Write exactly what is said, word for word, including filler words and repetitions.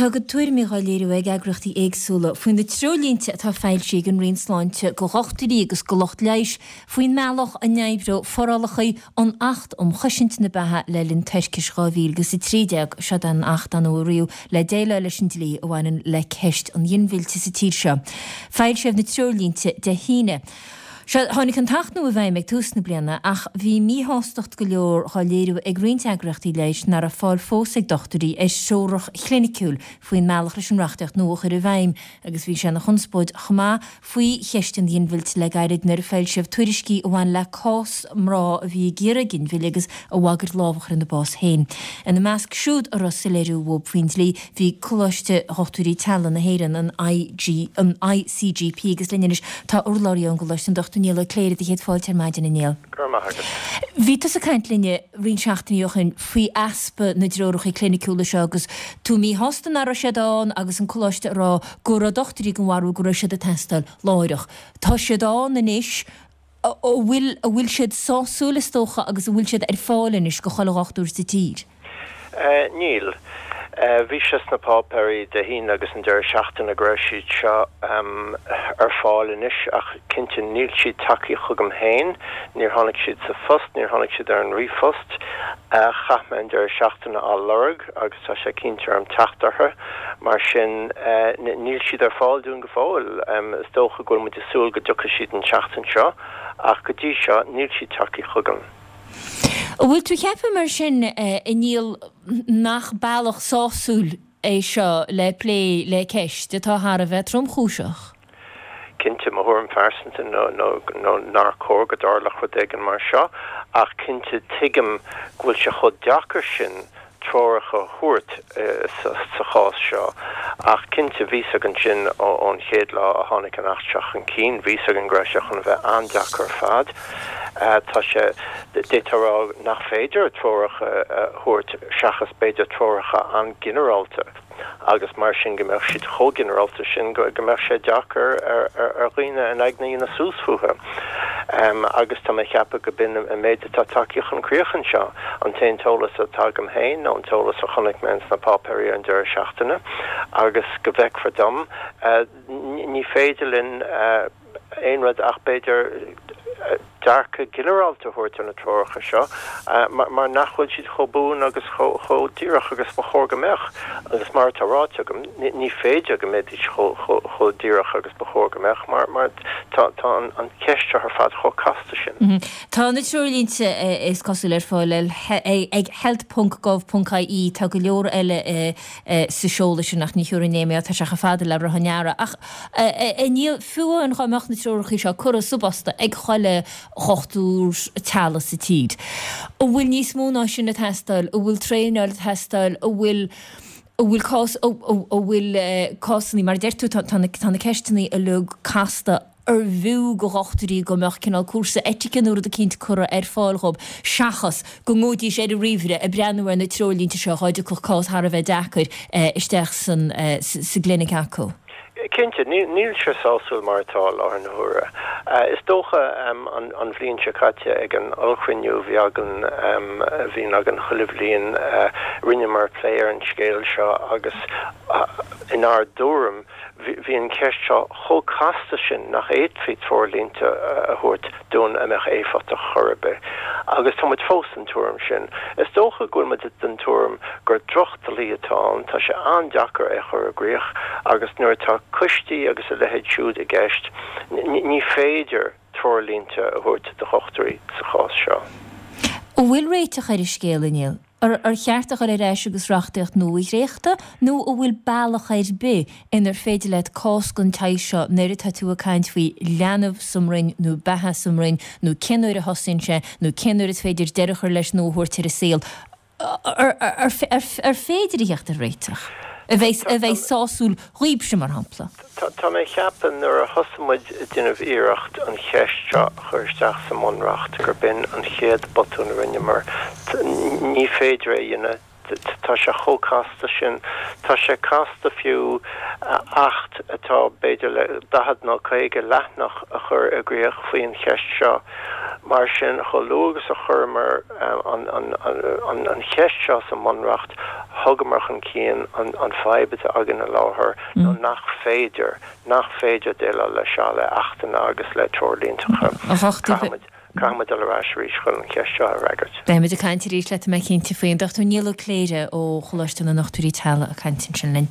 Tá a gcuid tuairimí á léiriú ag eagraíochtaí éagsúla faoi na treoirlínte atá foilsithe ag an Roinn Sláinte go dhochtúirí agus go lucht leighis faoin mbealach a n-oibreoidh forálacha an Acht um Chosaint na Beatha le linn toirchis dhá mhíle agus a trí déag. Seo an Acht a nuashonraíodh le déileáil leis an dlí a bhaineann le ceist an ghinmhillte sa tír seo. Foilsíodh na treoirlínte Dé hAoine. Sea, tháinig an tAcht nua i bhfeidhm ag tús na bliana ach bhí míshástacht go leor á léiriú ag roinnt eagraíochtaí leighis nach raibh fáil fós ag dochtúirí ar threoracha cliniciúil faoin mbealach leis an reachtaíocht nua a chur i bhfeidhm agus bhí sé ina chonspóid chomh maith faoi cheist an ghinmhillte le gairid nuair a foilsíodh tuairiscí a bhain le cás mná a bhí ag iarraidh ginmhilleadh agus a bhagair lámh a chur ina bás féin. Ina measc siúd a raibh soiléiriú uathu faoin dlí bhí Coláiste Dhochtúirí Teaghlaigh na hÉireann, an I G, an I C G P, agus linn anois tá urlabhraí ón gColáiste, an Dochtúir Niall Ó Cléirigh, do chéad fáilte ar maidin, a Niall. Go raibh maith agat. Bhí tusa ag caint linne roinnt seachtainí ó shin faoi easpa na dtreoracha cliniciúla seo agus tú míshásta nach raibh siad ann agus an coláiste ag rá go raibh dochtúirí den bharúil go raibh siad ag teastáil láithreach. Tá siad ann anois. An bhfuil an bhfuil siad sásúil, is dócha, agus an bhfuil siad ar fáil anois go chuile dhochtúir sa tír? Uh, níl. Uh, bhí sé sna páipéirí Dé hAoine agus an deireadh seachtaine go raibh siad seo um, ar fáil anois, ach cinnte níl siad tagtha chugam féin, níor tháinig siad sa phost, níor tháinig siad ar an ríomhphost. uh, Chaith mé an deireadh seachtaine á lorg agus tá sé cinnte orm teacht orthu, mar sin uh, níl siad ar fáil dúinn go fóill. um, is dócha go bhfuil muid ag súil go dtiocfaidh siad an seachtain seo, ach go dtí seo níl siad tagtha chugam. An bhfuil tú ag ceapadh mar sin, a Niall, nach bealach sásúil é seo le plé le ceist atá thar a bheith tromchúiseach? Cinnte, mo thuairim phearsanta nó nó nár chóir go dtarlódh rud éigin mar seo, ach cinnte tuigim go bhfuil sé chomh deacair sin treoracha a thabhairt sa chás seo. Ach cinnte bhí a fhios againn sin ón chéad lá a tháinig an Acht seo chun cinn, bhí a fhios againn go raibh sé chun bheith an-deacair ar fad. Tá sé d'fhéadfá a rá nach féidir treoracha a thabhairt seachas b'fhéidir treoracha an-ghinearálta, agus mar sin go mbeadh siad chomh ginearálta sin go go mbeadh sé deacair ar ar dhaoine an aigne ina suas fúthu. Um, agus tá mé ag ceapadh go b'in an méid atá tagtha chun críoch anseo, an t-aon eolas atá agam féin nó an t-eolas a chonaic mé sna páipéirí an deireadh seachtaine, agus go bhfeictear dom uh, ní féidir linn uh, aon rud ach b'fhéidir dearcadh ginearálta a thabhairt ar na treoracha seo, mar, mar nach bhfuil siad chomh buan agus chomh díreach agus ba chóir go mbeadh. Agus mar atá ráite agam, ní féidir go mbeidís chomh díreach agus ba chóir go mbeadh, mar mar tá tá an, an cheist seo ar fad chomh casta sin. Mm -hmm. Tá na treoirlínte, is cosúil, ar fáil ag health ponc gov ponc I E. Tá go leor eile sa seoladh sin ach ní thuair né tá sé fada le rá neara, ach níl fiú an chuimeach na treoracha seo curtha sa bpost ag chuile dhochtúir teaghlaigh sa tír. An bhfuil níos mó ná sin ag teastáil, an bhfuil traenáil ag teastáil, an bhfuil an bhfuil cás an bhfuil cásanna, mar deir tú, tá na ceisteanna uilig casta, ar bhfiú go dhochtúirí go mbeadh cineál cúrsa eitice nó rud eicínt curtha ar fáil dhób seachas go ngabhaidís ar an ríomhaire ag breathnú ar na treoirlínte seo dhá dtiocfadh cás thar a bheith deacair isteach san sa gclinic acu? Cinnte, níl sé sásúil mar atá láthair na huaire. Is dócha an, an bhliain seo caite ag an ollchruinniú bhí againn a bhíonn againn chuile bhliain, rinneamar plé ar an scéal seo agus inár dtuairim bhí an cheist seo chomh casta sin nach bhféadfaí treoirlínte a thabhairt dúinn a mbeadh éifeachtach chor ar bith. Agus tá muid fós den tuairim sin. Is dócha go bhfuil muid den tuairim gur drochdhlí atá ann, tá sé an-deacair é a chur i gcrích, agus nuair atá coistí agus a leithéid siúd i gceist, ní féidir treoirlínte a thabhairt do dhochtúirí sa chás seo. An bhfuil réiteach ar an scéal, a Niall? Ar ar cheart a chur ar ais agus reachtaíocht nua a dhréachtadh, nó an bhfuil bealach ar bith inar féidir leat cás den tsaghas seo, nuair atá tú ag caint faoi leanbh sa mbroinn nó beatha sa mbroinn nó cén uair a thosaíonn sé nó cén uair is féidir deireadh a chur leis nó a thabhairt ar an saol, ar féidir a theacht ar réiteach a bheidh a bheidh sásúil dhaoibhse, mar shampla? Tá mé ag ceapadh nuair a thosaigh muid ag déanamh iarracht an cheist seo a chur isteach sa mBunreacht gur b'in an chéad botún a rinneamar. Ní féidir é a dhéanamh, tá sé chomh casta sin. Tá sé casta fiú acht atá b'fhéidir le daichead nó caoga leathanach a chur i gcrích faoin cheist seo. Mar sin, chomh luath agus a chuireamar an, an, an, an cheist seo sa mBunreacht, Thugamar chun cinn an an fadhb atá againn i láthair nó nach féidir nach féidir déileáil le seo le achtanna agus le treoirlínte. Caithfimid dul ar ais arís chun an cheist seo a fhreagairt. Beimid ag caint arís leat mé cinnte faoin Dochtúir Niall Ó Cléire ó Choláiste na nDochtúirí Teaghlaigh ag caint ansin linn.